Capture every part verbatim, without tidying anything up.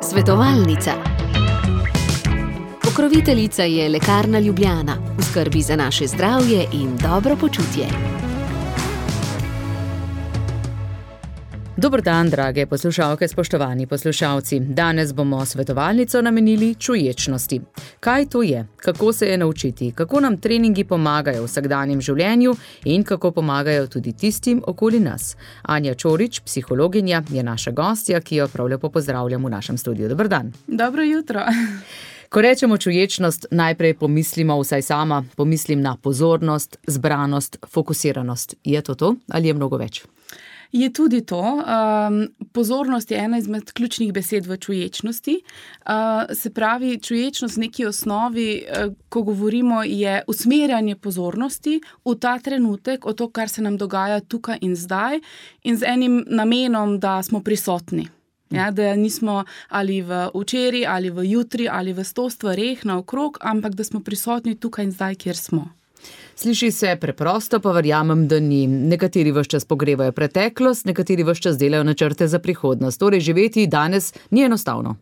Svetovalnica. Pokroviteljica je Lekarna Ljubljana, v skrbi za naše zdravje in dobro počutje. Dober dan, drage poslušalke, spoštovani poslušalci. Danes bomo svetovalnico namenili čuječnosti. Kaj to je? Kako se je naučiti? Kako nam treningi pomagajo v vsakdanjem življenju in kako pomagajo tudi tistim okoli nas? Anja Čorič, psihologinja, je naša gostja, ki jo prav lepo pozdravljam v našem studiu. Dober dan. Dobro jutro. Ko rečemo čuječnost, najprej pomislimo, vsaj sama, pomislim na pozornost, zbranost, fokusiranost. Je to to ali je mnogo več? Je tudi to. Um, pozornost je ena izmed ključnih besed v čuječnosti. Uh, se pravi, čuječnost v neki osnovi, uh, ko govorimo, je usmerjanje pozornosti v ta trenutek, o to, kar se nam dogaja tukaj in zdaj, in z enim namenom, da smo prisotni. Ja, da nismo ali v včeraj, ali v jutri, ali v sto stvareh naokrog, ampak da smo prisotni tukaj in zdaj, kjer smo. Sliši se preprosto, pa verjamem, da ni. Nekateri ves čas pogrevajo preteklost, nekateri ves čas delajo načrte za prihodnost. Torej, živeti danes ni enostavno.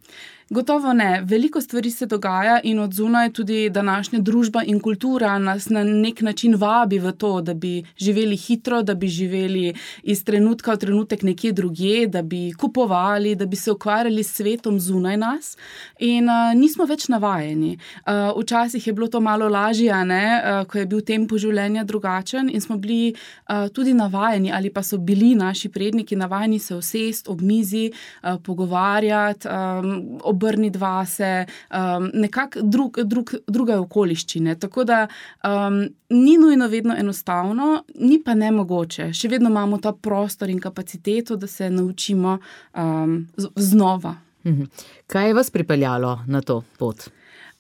Gotovo ne. Veliko stvari se dogaja in od zunaj tudi današnja družba in kultura nas na nek način vabi v to, da bi živeli hitro, da bi živeli iz trenutka v trenutek nekje drugje, da bi kupovali, da bi se ukvarjali s svetom zunaj nas in uh, nismo več navajeni. Uh, včasih je bilo to malo lažje, ne? Uh, ko je bil tempo življenja drugačen in smo bili uh, tudi navajeni ali pa so bili naši predniki navajeni se usest ob mizi, uh, pogovarjati, um, obrniti vase, um, nekako drug, drug, druge okoliščine. Tako da um, ni nujno vedno enostavno, ni pa nemogoče. Še vedno imamo ta prostor in kapaciteto, da se naučimo um, znova. Kaj je vas pripeljalo na to pot?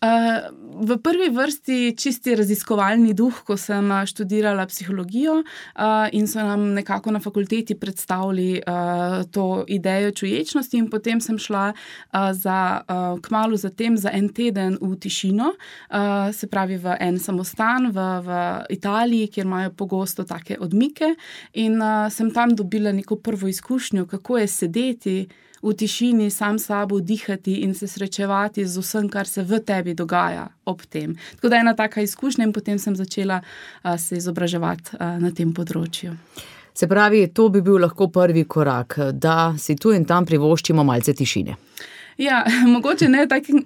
Uh, v prvi vrsti čisti raziskovalni duh, ko sem študirala psihologijo uh, in so nam nekako na fakulteti predstavili uh, to idejo čuječnosti in potem sem šla uh, za, uh, kmalu zatem za en teden v tišino, uh, se pravi v en samostan v, v Italiji, kjer imajo pogosto take odmike in uh, sem tam dobila neko prvo izkušnjo, kako je sedeti v tišini, sam sabo dihati in se srečevati z vsem, kar se v tebi dogaja ob tem. Tako da je ena taka izkušnja in potem sem začela uh, se izobraževati uh, na tem področju. Se pravi, to bi bil lahko prvi korak, da si tu in tam privoščimo malce tišine. Ja, mogoče ne v takem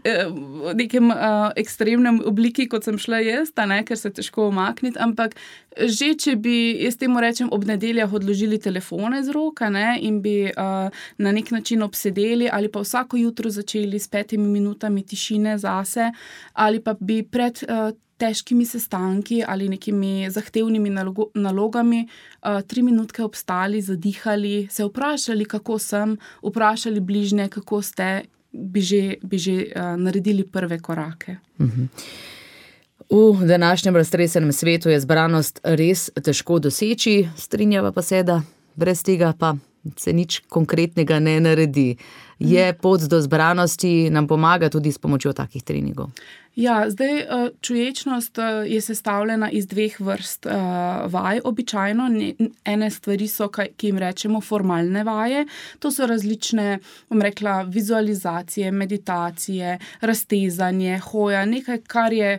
nekem uh, ekstremnem obliki, kot sem šla jaz, ne, ker se težko umakniti, ampak že, če bi, jaz temu rečem, ob nedeljah odložili telefone z roka, ne, in bi uh, na nek način obsedeli ali pa vsako jutro začeli s petimi minutami tišine zase, ali pa bi pred uh, težkimi sestanki ali nekimi zahtevnimi nalogo, nalogami uh, tri minutke obstali, zadihali, se vprašali, kako sem, vprašali bližnje, kako ste, bi že, bi že uh, naredili prve korake. Mhm. V današnjem raztresenem svetu je zbranost res težko doseči, strinjava pa se, da brez tega pa se nič konkretnega ne naredi. Je pot do zbranosti, nam pomaga tudi s pomočjo takih treningov? Ja, zdaj čuječnost je sestavljena iz dveh vrst vaj običajno. Ene stvari so, ki jim rečemo formalne vaje. To so različne, bom rekla, vizualizacije, meditacije, raztezanje, hoja, nekaj, kar je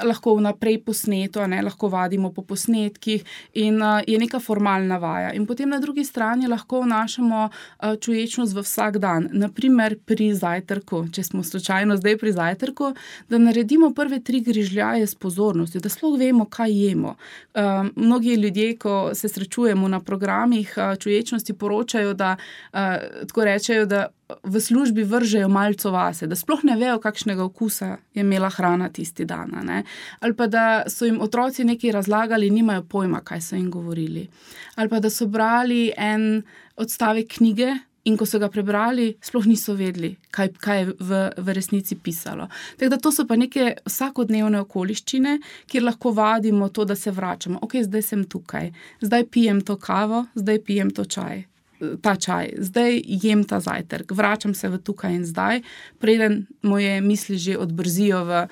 lahko vnaprej posneto, ne, lahko vadimo po posnetkih in uh, je neka formalna vaja. In potem na drugi strani lahko vnašamo uh, čuječnost v vsak dan. Naprimer pri zajtrku, če smo slučajno zdaj pri zajtrku, da naredimo prve tri grižljaje s pozornostjo, da sploh vemo, kaj jemo. Uh, mnogi ljudje, ko se srečujemo na programih uh, čuječnosti, poročajo, da uh, tako rečejo, da v službi vržejo malco vase, da sploh ne vejo, kakšnega okusa je imela hrana tisti dan. Ne? Ali pa da so jim otroci nekaj razlagali, nimajo pojma, kaj so jim govorili. Ali pa da so brali en odstavek knjige in ko so ga prebrali, sploh niso vedeli, kaj, kaj je v, v resnici pisalo. Tako da to so pa neke vsakodnevne okoliščine, kjer lahko vadimo to, da se vračamo. Ok, zdaj sem tukaj, zdaj pijem to kavo, zdaj pijem to čaj. ta čaj, zdaj jem ta zajtrk, vračam se v tukaj in zdaj, preden moje misli že odbrzijo v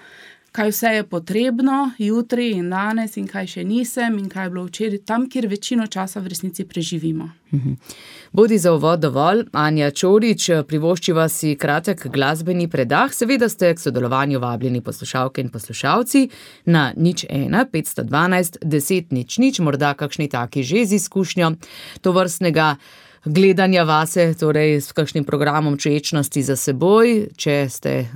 kaj vse je potrebno jutri in danes in kaj še nisem in kaj je bilo včeraj, tam, kjer večino časa v resnici preživimo. Mhm. Bodi za uvod dovolj, Anja Čorič, privoščiva si kratek glasbeni predah, seveda ste k sodelovanju vabljeni poslušalke in poslušalci na nič ena petsto dvanajst deset nič nič, morda kakšni taki že z izkušnjo tovrstnega gledanja vase, torej s kakšnim programom čuječnosti za seboj, če ste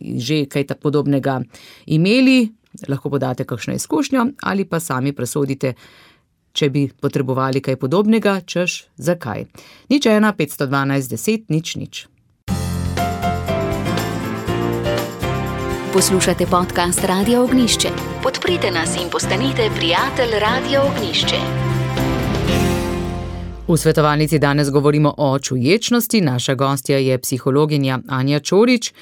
že kaj tak podobnega imeli, lahko podate kakšno izkušnjo ali pa sami presodite, če bi potrebovali kaj podobnega, češ zakaj. nič ena petsto dvanajst deset nič nič. Poslušate podcast Radia Ognjišče. Podprite nas in postanite prijatelj Radia Ognjišče. V svetovalnici danes govorimo o čuječnosti, naša gostja je psihologinja Anja Čorič.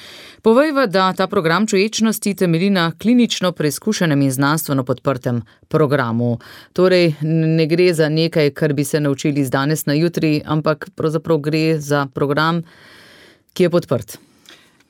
Povejva, da ta program čuječnosti temelji na klinično preizkušenem in znanstveno podprtem programu. Torej, ne gre za nekaj, kar bi se naučili z danes na jutri, ampak pravzaprav gre za program, ki je podprt.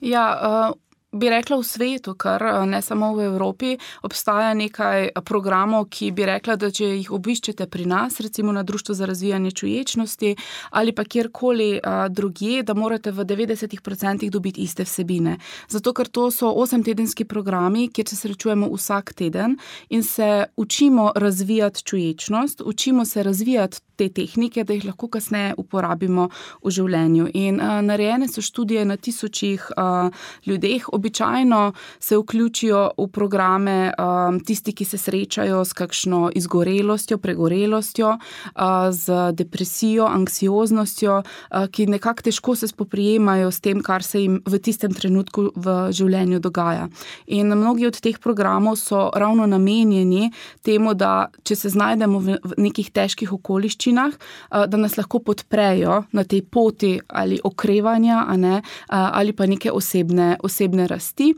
Ja, uh... bi rekla v svetu, kar ne samo v Evropi, obstaja nekaj programov, ki bi rekla, da če jih obiščete pri nas, recimo na Društvu za razvijanje čuječnosti ali pa kjerkoli drugje, da morate v devetdesetih procentih dobiti iste vsebine. Zato, ker to so osemtedenski programi, kjer se srečujemo vsak teden in se učimo razvijati čuječnost, učimo se razvijati te tehnike, da jih lahko kasneje uporabimo v življenju. In uh, narejene so študije na tisočih uh, ljudeh. Običajno se vključijo v programe um, tisti, ki se srečajo s kakšno izgorelostjo, pregorelostjo, uh, z depresijo, anksioznostjo, uh, ki nekako težko se spoprijemajo s tem, kar se jim v tistem trenutku v življenju dogaja. In mnogi od teh programov so ravno namenjeni temu, da če se znajdemo v, v nekih težkih okoliščinah, da nas lahko podprejo na tej poti ali okrevanja, a ne, ali pa neke osebne, osebne rasti.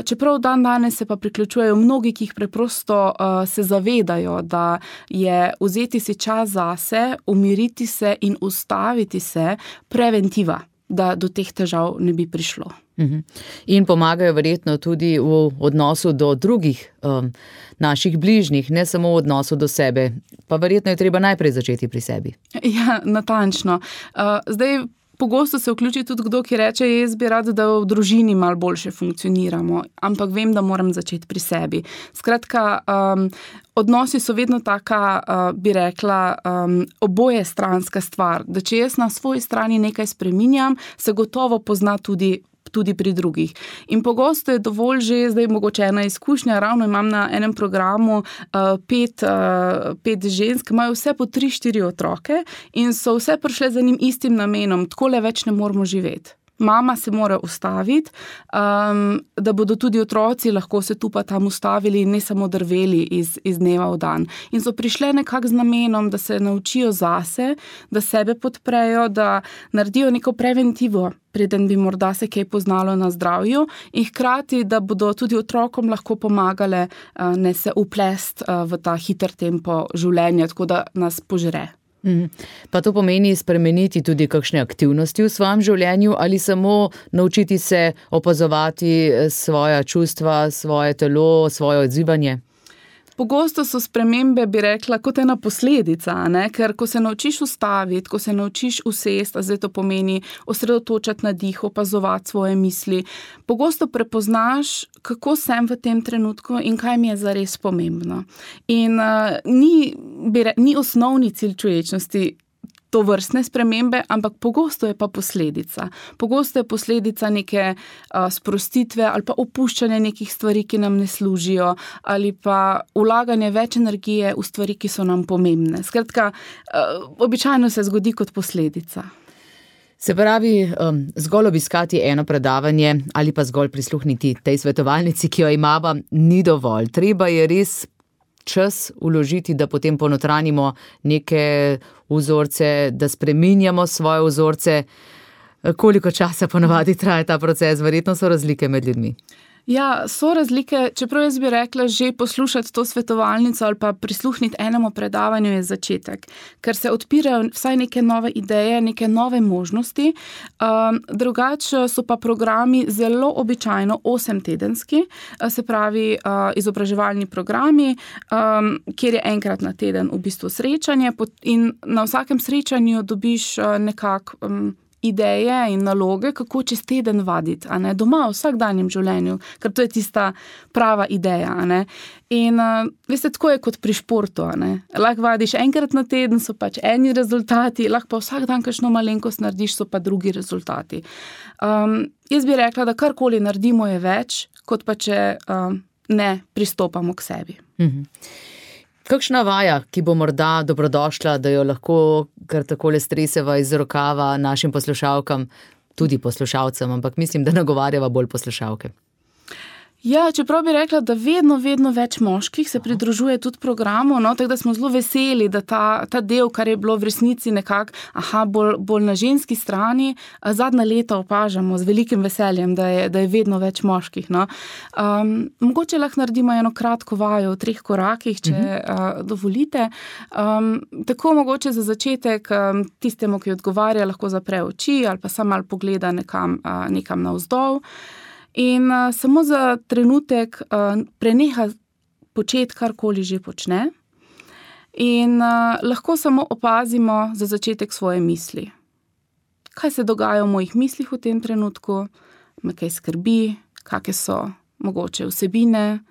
Čeprav dan danes se pa priključujejo mnogi, ki jih preprosto se zavedajo, da je vzeti si čas zase, umiriti se in ustaviti se preventiva, da do teh težav ne bi prišlo. In pomagajo verjetno tudi v odnosu do drugih um, naših bližnjih, ne samo v odnosu do sebe. Pa verjetno je treba najprej začeti pri sebi. Ja, natančno. Uh, zdaj, pogosto se vključi tudi kdo, ki reče, jaz bi rad, da v družini malo boljše funkcioniramo, ampak vem, da moram začeti pri sebi. Skratka, um, odnosi so vedno taka, uh, bi rekla, um, oboje stranska stvar, da če jaz na svoji strani nekaj spreminjam, se gotovo pozna tudi tudi pri drugih. In pogosto je dovolj že, zdaj mogoče ena izkušnja, ravno imam na enem programu uh, pet, uh, pet žensk, imajo vse po tri, štiri otroke in so vse prišle za njim istim namenom, takole več ne moramo živeti. Mama se mora ustaviti, um, da bodo tudi otroci lahko se tu pa tam ustavili in ne samo drveli iz, iz dneva v dan. In so prišle nekako z namenom, da se naučijo zase, da sebe podprejo, da naredijo neko preventivo, preden bi morda se kaj poznalo na zdravju in hkrati, da bodo tudi otrokom lahko pomagale uh, ne se uplest uh, v ta hiter tempo življenja, tako da nas požre. Pa to pomeni spremeniti tudi kakšne aktivnosti v svojem življenju ali samo naučiti se opazovati svoja čustva, svoje telo, svoje odzivanje? Pogosto so spremembe, bi rekla, kot ena posledica, ne? Ker ko se naučiš ustaviti, ko se naučiš usesti, a zdaj to pomeni osredotočati na dih, opazovati svoje misli, pogosto prepoznaš, kako sem v tem trenutku in kaj mi je zares pomembno. In uh, ni, bi re, ni osnovni cilj čuječnosti to vrstne spremembe, ampak pogosto je pa posledica. Pogosto je posledica neke uh, sprostitve ali pa opuščanja nekih stvari, ki nam ne služijo, ali pa vlaganje več energije v stvari, ki so nam pomembne. Skratka, uh, običajno se zgodi kot posledica. Se pravi, um, zgolj obiskati eno predavanje ali pa zgolj prisluhniti tej svetovalnici, ki jo imava, ni dovolj. Treba je res čas vložiti, da potem ponotranimo neke vzorce, da spreminjamo svoje vzorce. Koliko časa ponavadi traja ta proces? Verjetno so razlike med ljudmi. Ja, so razlike, čeprav jaz bi rekla, že poslušati to svetovalnico ali pa prisluhniti enemu predavanju je začetek, ker se odpirajo vsaj neke nove ideje, neke nove možnosti. Um, drugače so pa programi zelo običajno osemtedenski, se pravi uh, izobraževalni programi, um, kjer je enkrat na teden v bistvu srečanje in na vsakem srečanju dobiš uh, nekako um, ideje in naloge, kako čez teden vaditi, a ne, doma v vsakdanjem življenju, ker to je tista prava ideja, a ne. In uh, veste, tako je kot pri športu, a ne. Lahko vadiš enkrat na teden, so pač eni rezultati, lahko pa vsak dan kakšno malenkost narediš, so pa drugi rezultati. Um, jaz bi rekla, da karkoli naredimo je več, kot pa če um, ne pristopamo k sebi. Mhm. Kakšna vaja, ki bo morda dobrodošla, da jo lahko kar takole streseva iz rokava našim poslušalkam, tudi poslušalcem, ampak mislim, da nagovarjava bolj poslušalke. Ja, čeprav bi rekla, da vedno, vedno več moških se pridružuje tudi programu, no, tako da smo zelo veseli, da ta, ta del, kar je bilo v resnici nekako, aha, bolj, bolj na ženski strani, zadnja leta opažamo z velikim veseljem, da je, da je vedno več moških, no. Um, mogoče lahko naredimo eno kratko vajo v treh korakih, če uh-huh. uh, dovolite. Um, tako mogoče za začetek um, tistemu, ki odgovarja, lahko zapre oči ali pa samo malo pogleda nekam, uh, nekam navzdol. In uh, samo za trenutek uh, preneha početi, karkoli že počne. In uh, lahko samo opazimo za začetek svoje misli. Kaj se dogaja v mojih mislih v tem trenutku, me kaj skrbi, kakšne so mogoče vsebine.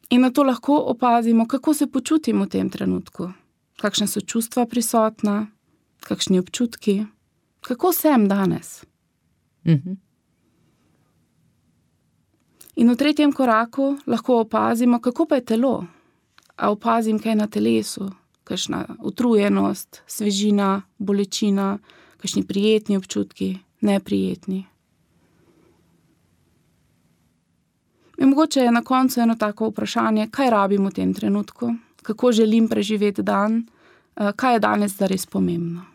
In na to lahko opazimo, kako se počutim v tem trenutku, kakšne so čustva prisotna, kakšni občutki, kako sem danes. In v tretjem koraku lahko opazimo, kako pa je telo. A opazim kaj na telesu, kakšna utrujenost, svežina, bolečina, kakšni prijetni občutki, neprijetni. In mogoče je na koncu eno tako vprašanje, kaj rabim v tem trenutku, kako želim preživeti dan, kaj je danes zares pomembno.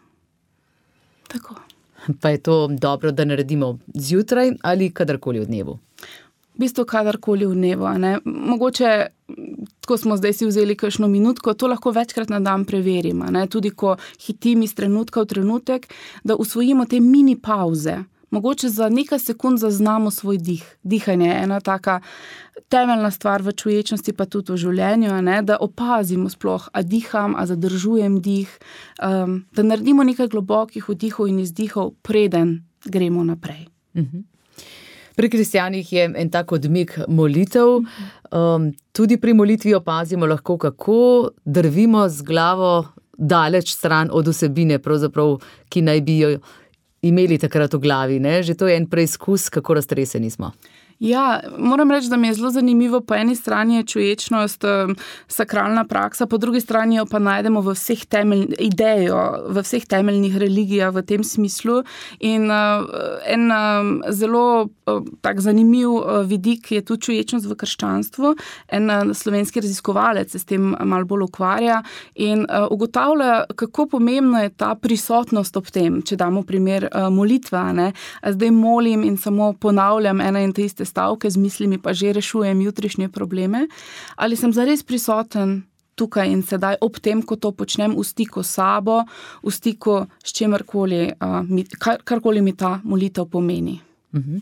Tako. Pa je to dobro, da naredimo zjutraj ali kadarkoli v dnevu? V bistvu kadarkoli v dnevu, a ne. Mogoče, tako smo zdaj si vzeli kakšno minutko, to lahko večkrat na dan preverimo, ne. Tudi ko hitim iz trenutka v trenutek, da usvojimo te mini pauze. Mogoče za nekaj sekund zaznamo svoj dih. Dihanje je ena taka temeljna stvar v čuječnosti, pa tudi v življenju, a ne, da opazimo sploh, a diham, a zadržujem dih, um, da naredimo nekaj globokih vdihov in izdihov, preden gremo naprej. Mhm. Pri kristjanih je en tak odmik molitev. Um, tudi pri molitvi opazimo lahko, kako drvimo z glavo daleč stran od vsebine, pravzaprav, ki naj bi jo imeli takrat v glavi, ne? Že to je en preizkus, kako raztreseni smo. Ja, moram reči, da mi je zelo zanimivo, po eni strani je čuječnost, sakralna praksa, po drugi strani jo pa najdemo v vseh temeljnih idejo, v vseh temeljnih religijah v tem smislu. In uh, en um, zelo uh, tak zanimiv uh, vidik je tudi čuječnost v krščanstvu. En uh, slovenski raziskovalec se s tem malo bolj ukvarja in uh, ugotavlja, kako pomembna je ta prisotnost ob tem, če damo primer uh, molitva, ne. Zdaj molim in samo ponavljam ena in te iste stavke, z mislimi pa že rešujem jutrišnje probleme, ali sem zares prisoten tukaj in sedaj ob tem, ko to počnem, v stiku s sabo, v stiku s čemarkoli, kar, karkoli mi ta molitev pomeni. Mhm.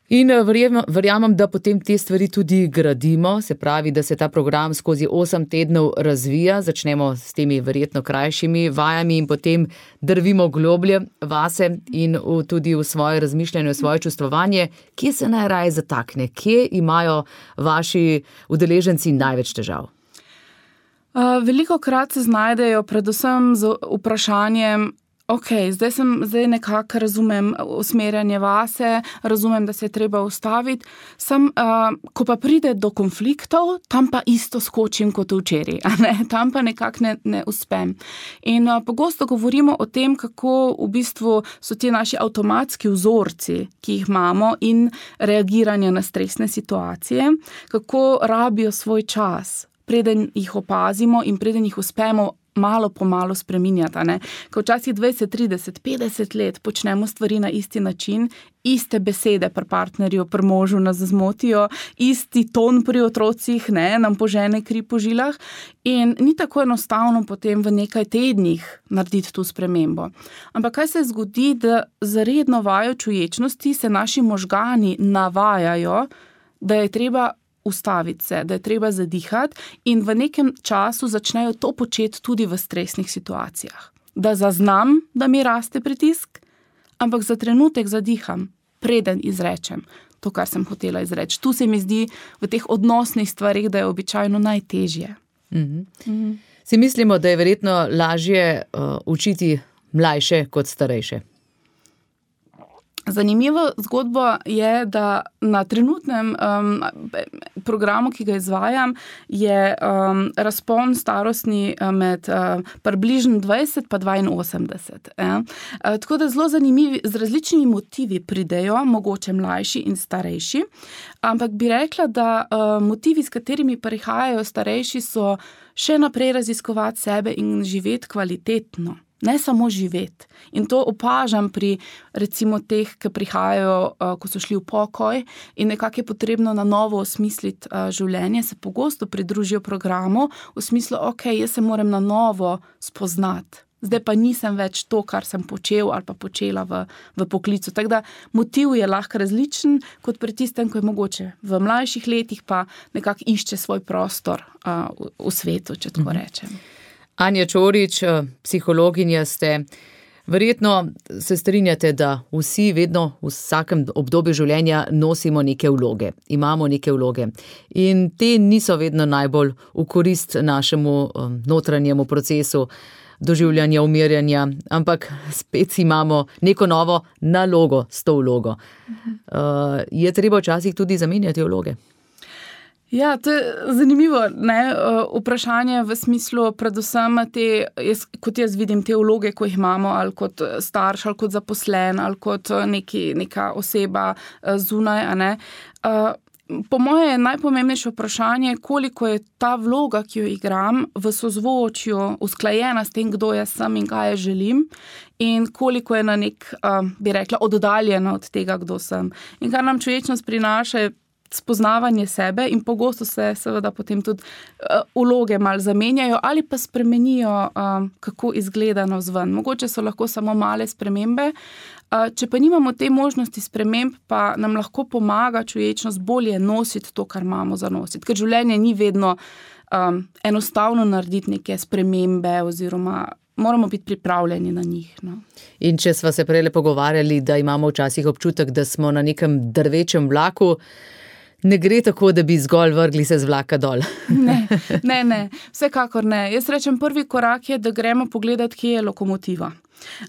In verjamem, verjamem, da potem te stvari tudi gradimo, se pravi, da se ta program skozi osem tednov razvija, začnemo s temi verjetno krajšimi vajami in potem drvimo globlje vase in v, tudi v svoje razmišljanje, v svoje čustvovanje. Kje se najraje zatakne? Kje imajo vaši udeleženci največ težav? Uh, veliko krat se znajdejo predvsem z vprašanjem, ok, zdaj sem, zdaj nekako razumem usmerjanje vase, razumem, da se je treba ustaviti, sem, uh, ko pa pride do konfliktov, tam pa isto skočim kot včeraj, a ne, tam pa nekako ne, ne uspem. In uh, pogosto govorimo o tem, kako v bistvu so ti naši avtomatski vzorci, ki jih imamo in reagiranje na stresne situacije, kako rabijo svoj čas, preden jih opazimo in preden jih uspemo malo po malo spreminjati, ne. Ko včasih dvajset, trideset, petdeset let počnemo stvari na isti način, iste besede pri partnerju, pri možu nas zmotijo, isti ton pri otrocih, ne, nam požene kri po žilah in ni tako enostavno potem v nekaj tednih narediti tu spremembo. Ampak kaj se zgodi, da za redno vajo čuječnosti se naši možgani navajajo, da je treba ustaviti se, da je treba zadihati in v nekem času začnejo to početi tudi v stresnih situacijah. Da zaznam, da mi raste pritisk, ampak za trenutek zadiham, preden izrečem to, kar sem hotela izreči. Tu se mi zdi v teh odnosnih stvarih, da je običajno najtežje. Mm-hmm. Mm-hmm. Si mislimo, da je verjetno lažje uh, učiti mlajše kot starejše? Zanimiva zgodba je, da na trenutnem um, programu, ki ga izvajam, je um, razpon starostni med uh, približno dvajset pa dvainosemdeset. Eh? Uh, tako da zelo zanimivi, z različnimi motivi pridejo, mogoče mlajši in starejši, ampak bi rekla, da uh, motivi, s katerimi prihajajo starejši, so še naprej raziskovati sebe in živeti kvalitetno. Ne samo živeti. In to opažam pri recimo teh, ki prihajajo, ko so šli v pokoj in nekako je potrebno na novo osmisliti življenje, se pogosto pridružijo programu v smislu, ok, jaz se moram na novo spoznati. Zdaj pa nisem več to, kar sem počel ali pa počela v, v poklicu. Tako da motiv je lahko različen kot pri tistem, ko je mogoče v mlajših letih pa nekako išče svoj prostor uh, v, v svetu, če tako rečem. Anja Čorič, psihologinja ste, verjetno se strinjate, da vsi vedno v vsakem obdobju življenja nosimo neke vloge, imamo neke vloge in te niso vedno najbolj v korist našemu notranjemu procesu doživljanja, umirjanja, ampak spet imamo neko novo nalogo s to vlogo. Uh, je treba včasih tudi zamenjati vloge? Ja, to je zanimivo, ne, vprašanje v smislu predvsem te, jaz, kot jaz vidim te vloge, ko jih imamo, ali kot starš, ali kot zaposlen, ali kot neki, neka oseba zunaj, a ne. Po moje je najpomembnejše vprašanje, koliko je ta vloga, ki jo igram, v sozvočju usklajena s tem, kdo jaz sem in kaj jaz želim in koliko je na nek, bi rekla, oddaljena od tega, kdo sem. In kar nam čuječnost prinaša, je spoznavanje sebe in pogosto se seveda potem tudi uh, vloge malo zamenjajo ali pa spremenijo, uh, kako izgleda navzven. Mogoče so lahko samo male spremembe. Uh, če pa nimamo te možnosti sprememb, pa nam lahko pomaga čuječnost bolje nositi to, kar imamo za nositi. Ker življenje ni vedno um, enostavno narediti neke spremembe oziroma moramo biti pripravljeni na njih. No. In če sva se prejle pogovarjali, da imamo včasih občutek, da smo na nekem drvečem vlaku, ne gre tako, da bi zgolj vrgli se z vlaka dol. Ne, ne, ne, vsekakor ne. Jaz rečem, prvi korak je, da gremo pogledati, kje je lokomotiva.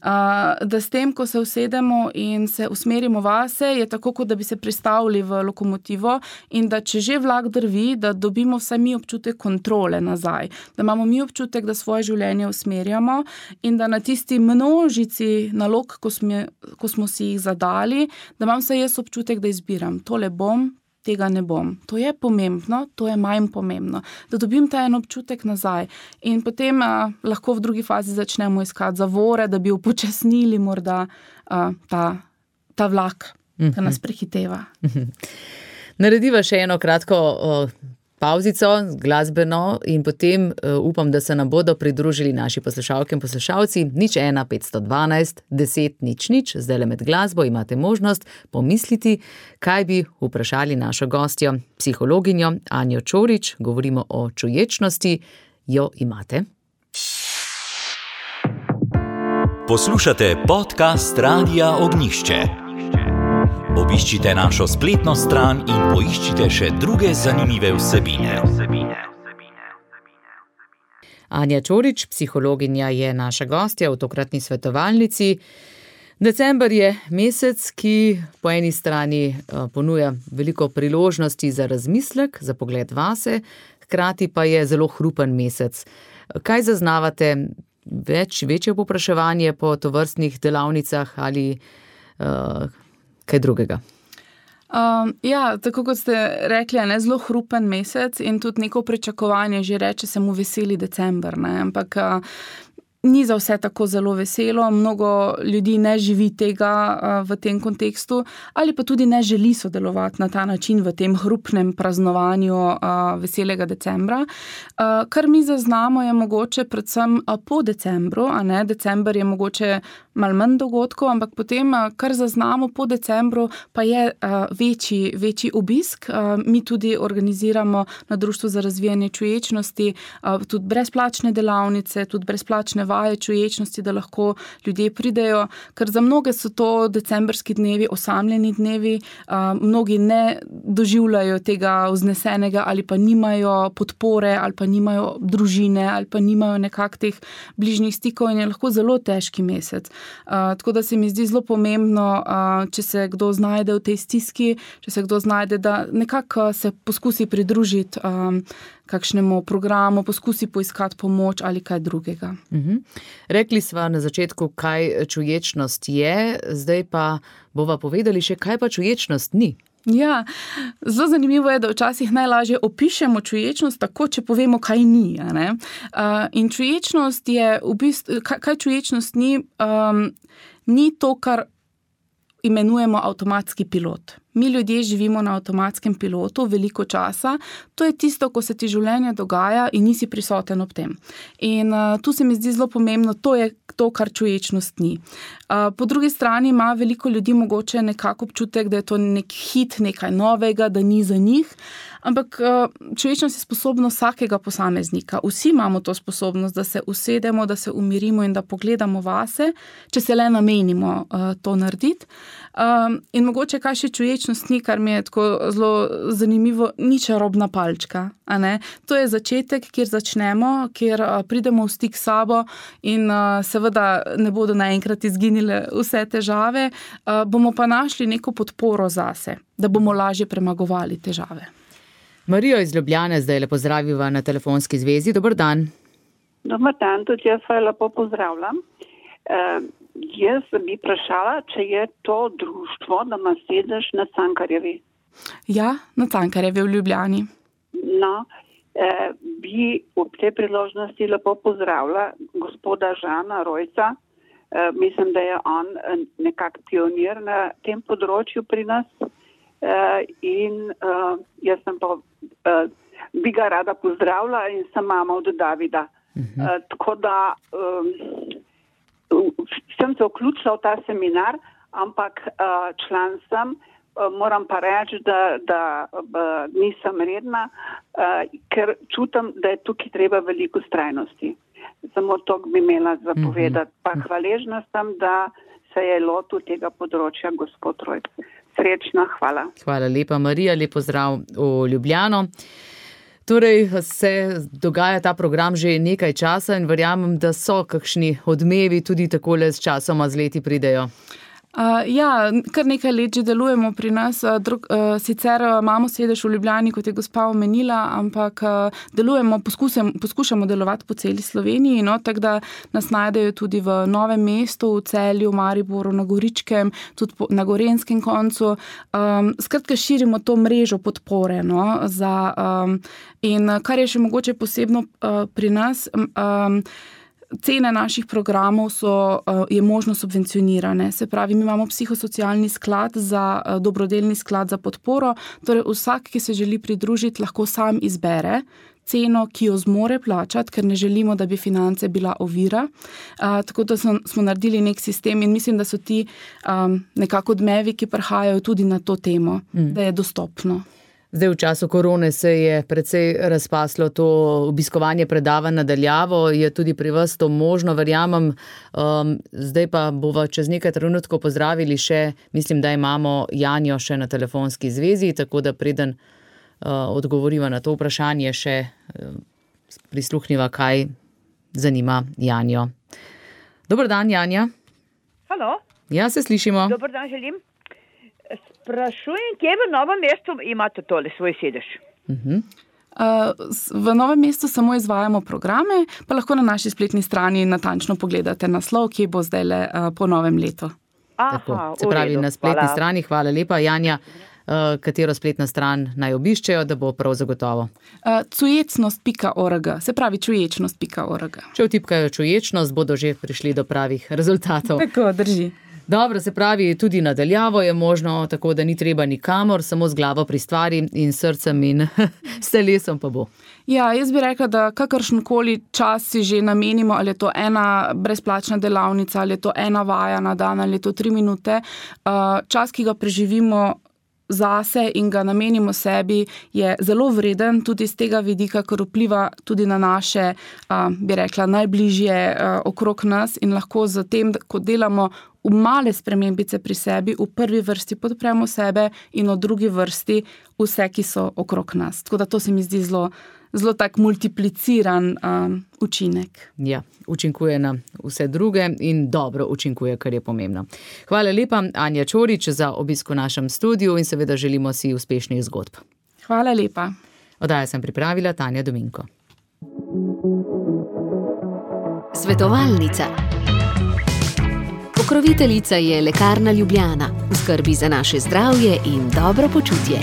Uh, da s tem, ko se usedemo in se usmerimo vase, je tako, kot da bi se pristavili v lokomotivo in da če že vlak drvi, da dobimo vsaj mi občutek kontrole nazaj. Da imamo mi občutek, da svoje življenje usmerjamo in da na tisti množici nalog, ko smo, ko smo si jih zadali, da imam vsaj jaz občutek, da izbiram. Tole bom, tega ne bom. To je pomembno, to je manj pomembno. Da dobim ta en občutek nazaj. In potem a, lahko v drugi fazi začnemo iskati zavore, da bi upočasnili morda a, ta, ta vlak, mm-hmm. ki nas prehiteva. Mm-hmm. Narediva še eno kratko o, pauzico, glasbeno in potem uh, upam, da se nam bodo pridružili naši poslušalke in poslušalci. Nič ena, petsto dvanajst, deset, nič, nič. Zdaj le med glasbo imate možnost pomisliti, kaj bi vprašali našo gostjo, psihologinjo Anjo Čorič. Govorimo o čuječnosti. Jo imate? Poslušate podcast Radia Ognišče. Obiščite našo spletno stran in poiščite še druge zanimive vsebine. Anja Čorič, psihologinja, je naša gostja v tokratni svetovalnici. December je mesec, ki po eni strani ponuja veliko priložnosti za razmislek, za pogled vase, hkrati pa je zelo hrupen mesec. Kaj zaznavate? Več, večje povpraševanje po tovrstnih delavnicah ali uh, kaj drugega? Um, ja, tako kot ste rekli, je zelo hrupen mesec in tudi neko pričakovanje že reče se mu veseli december, ne? Ampak uh, ni za vse tako zelo veselo, mnogo ljudi ne živi tega uh, v tem kontekstu ali pa tudi ne želi sodelovati na ta način v tem hrupnem praznovanju uh, veselega decembra. Uh, kar mi zaznamo je mogoče predvsem uh, po decembru, a ne, december je mogoče malo manj dogodkov, ampak potem, uh, kar zaznamo po decembru, pa je uh, večji, večji obisk. Uh, mi tudi organiziramo na Društvu za razvijanje čuječnosti uh, tudi brezplačne delavnice, tudi brezplačne vaje čuječnosti, da lahko ljudje pridejo, ker za mnoge so to decembrski dnevi, osamljeni dnevi, uh, mnogi ne doživljajo tega vznesenega ali pa nimajo podpore ali pa nimajo družine ali pa nimajo nekak teh bližnjih stikov in je lahko zelo težki mesec. Uh, tako da se mi zdi zelo pomembno, uh, če se kdo znajde v tej stiski, če se kdo znajde, da nekako se poskusi pridružiti um, kakšnemu programu, poskusi poiskati pomoč ali kaj drugega. Mhm. Rekli sva na začetku, kaj čuječnost je, zdaj pa bova povedali še, kaj pa čuječnost ni. Ja, zelo zanimivo je, da včasih najlažje opišemo čuječnost tako, če povemo, kaj ni. A ne? Uh, in čuječnost je, v bistvu, kaj, kaj čuječnost ni, um, ni to, kar imenujemo avtomatski pilot. Mi ljudje živimo na avtomatskem pilotu veliko časa. To je tisto, ko se ti življenje dogaja in nisi prisoten ob tem. In uh, tu se mi zdi zelo pomembno, to je to, kar čuječnost ni. Uh, po drugi strani ima veliko ljudi mogoče nekako občutek, da je to nek hit, nekaj novega, da ni za njih. Ampak uh, čuječnost je sposobnost vsakega posameznika. Vsi imamo to sposobnost, da se usedemo, da se umirimo in da pogledamo vase, če se le namenimo uh, to narediti. Um, in mogoče kaj še čuječnost ni, kar mi je tako zelo zanimivo, ni čarobna palčka. A ne? To je začetek, kjer začnemo, kjer uh, pridemo v stik s sabo in uh, seveda ne bodo naenkrat izginile vse težave, uh, bomo pa našli neko podporo zase, da bomo lažje premagovali težave. Marijo iz Ljubljane zdaj lepo pozdraviva na telefonski zvezi. Dober dan. Dobar dan, tudi jaz vaju lepo pozdravljam. Uh, jaz bi vprašala, če je to društvo, da ima sedež na Cankarjevi. Ja, na Cankarjevi v Ljubljani. No, eh, bi ob tej priložnosti lepo pozdravila gospoda Žana Rojca. Eh, mislim, da je on nekak pionir na tem področju pri nas. Eh, in eh, jaz sem pa, eh, bi ga rada pozdravila in sem mama od Davida. Uh-huh. Eh, tako da eh, sem se vključila v ta seminar, ampak uh, član sem, uh, moram pa reči, da, da uh, nisem redna, uh, ker čutim, da je tukaj treba veliko vztrajnosti. Samo to bi imela zapovedati. Pa hvaležna sem, da se je lotil tega področja gospod Rojc. Srečna, hvala. Hvala lepa, Marija, lep pozdrav v Ljubljano. Torej se dogaja ta program že nekaj časa in verjamem, da so kakšni odmevi tudi takole s časoma z leti pridejo. Uh, ja, kar nekaj let že delujemo pri nas. Uh, drug, uh, sicer imamo sedež v Ljubljani, kot je gospa omenila, ampak uh, delujemo, poskusem, poskušamo delovati po celi Sloveniji, no, tako da nas najdejo tudi v Novem mestu, v Celju, Mariboru, na Goričkem, tudi po, na Gorenjskem koncu. Um, skratka, širimo to mrežo podpore. No, za, um, in kar je še mogoče posebno uh, pri nas, um, cene naših programov so, je možno subvencionirane. Se pravi, mi imamo psihosocialni sklad za dobrodelni sklad za podporo, torej vsak, ki se želi pridružiti, lahko sam izbere ceno, ki jo zmore plačati, ker ne želimo, da bi finance bila ovira. Uh, tako da smo, smo naredili nek sistem in mislim, da so ti um, nekako odmevi, ki prihajajo tudi na to temo, mm. da je dostopno. Zdaj v času korone se je precej razpaslo to obiskovanje predavanj na daljavo, je tudi pri vas to možno, verjamem. Um, zdaj pa bova čez nekaj trenutkov pozdravili še, mislim, da imamo Janjo še na telefonski zvezi, tako da preden uh, odgovoriva na to vprašanje, še uh, prisluhniva, kaj zanima Janjo. Dober dan, Janja. Halo. Ja, se slišimo. Dober dan, želim. Sprašujem, kje v Novem mestu imate tole svoj sedež? Uh-huh. Uh, v Novem mestu samo izvajamo programe, pa lahko na naši spletni strani natančno pogledate naslov, kje bo zdaj le uh, po novem letu. Tako, se pravi, na spletni hvala. strani, hvala lepa, Janja. katero spletno stran naj obiščejo, da bo prav zagotovo. Uh, cujecnost pika org, se pravi čuječnost pika org. Če vtipkajo čuječnost, bodo že prišli do pravih rezultatov. Tako, drži. Dobro, se pravi, tudi nadaljavo je možno, tako da ni treba nikamor, samo z glavo pri stvari in srcem in s telesom pa bo. Ja, jaz bi rekla, da kakršenkoli čas si že namenimo, ali je to ena brezplačna delavnica, ali je to ena vaja na dan, ali je to tri minute, čas, ki ga preživimo zase in ga namenimo sebi, je zelo vreden tudi z tega vidika, ker vpliva tudi na naše, bi rekla, najbližje okrog nas in lahko z tem, ko delamo v male spremembice pri sebi, v prvi vrsti podpremo sebe in v drugi vrsti vse, ki so okrog nas. Tako da to se mi zdi zelo, zelo tak multipliciran um, učinek. Ja, učinkuje na vse druge in dobro učinkuje, kar je pomembno. Hvala lepa, Anja Čorič, za obisk v našem studiu in seveda želimo si uspešnih zgodb. Hvala lepa. Oddajo sem pripravila Tanja Dominko. Svetovalnica. Pokroviteljica je Lekarna Ljubljana, v skrbi za naše zdravje in dobro počutje.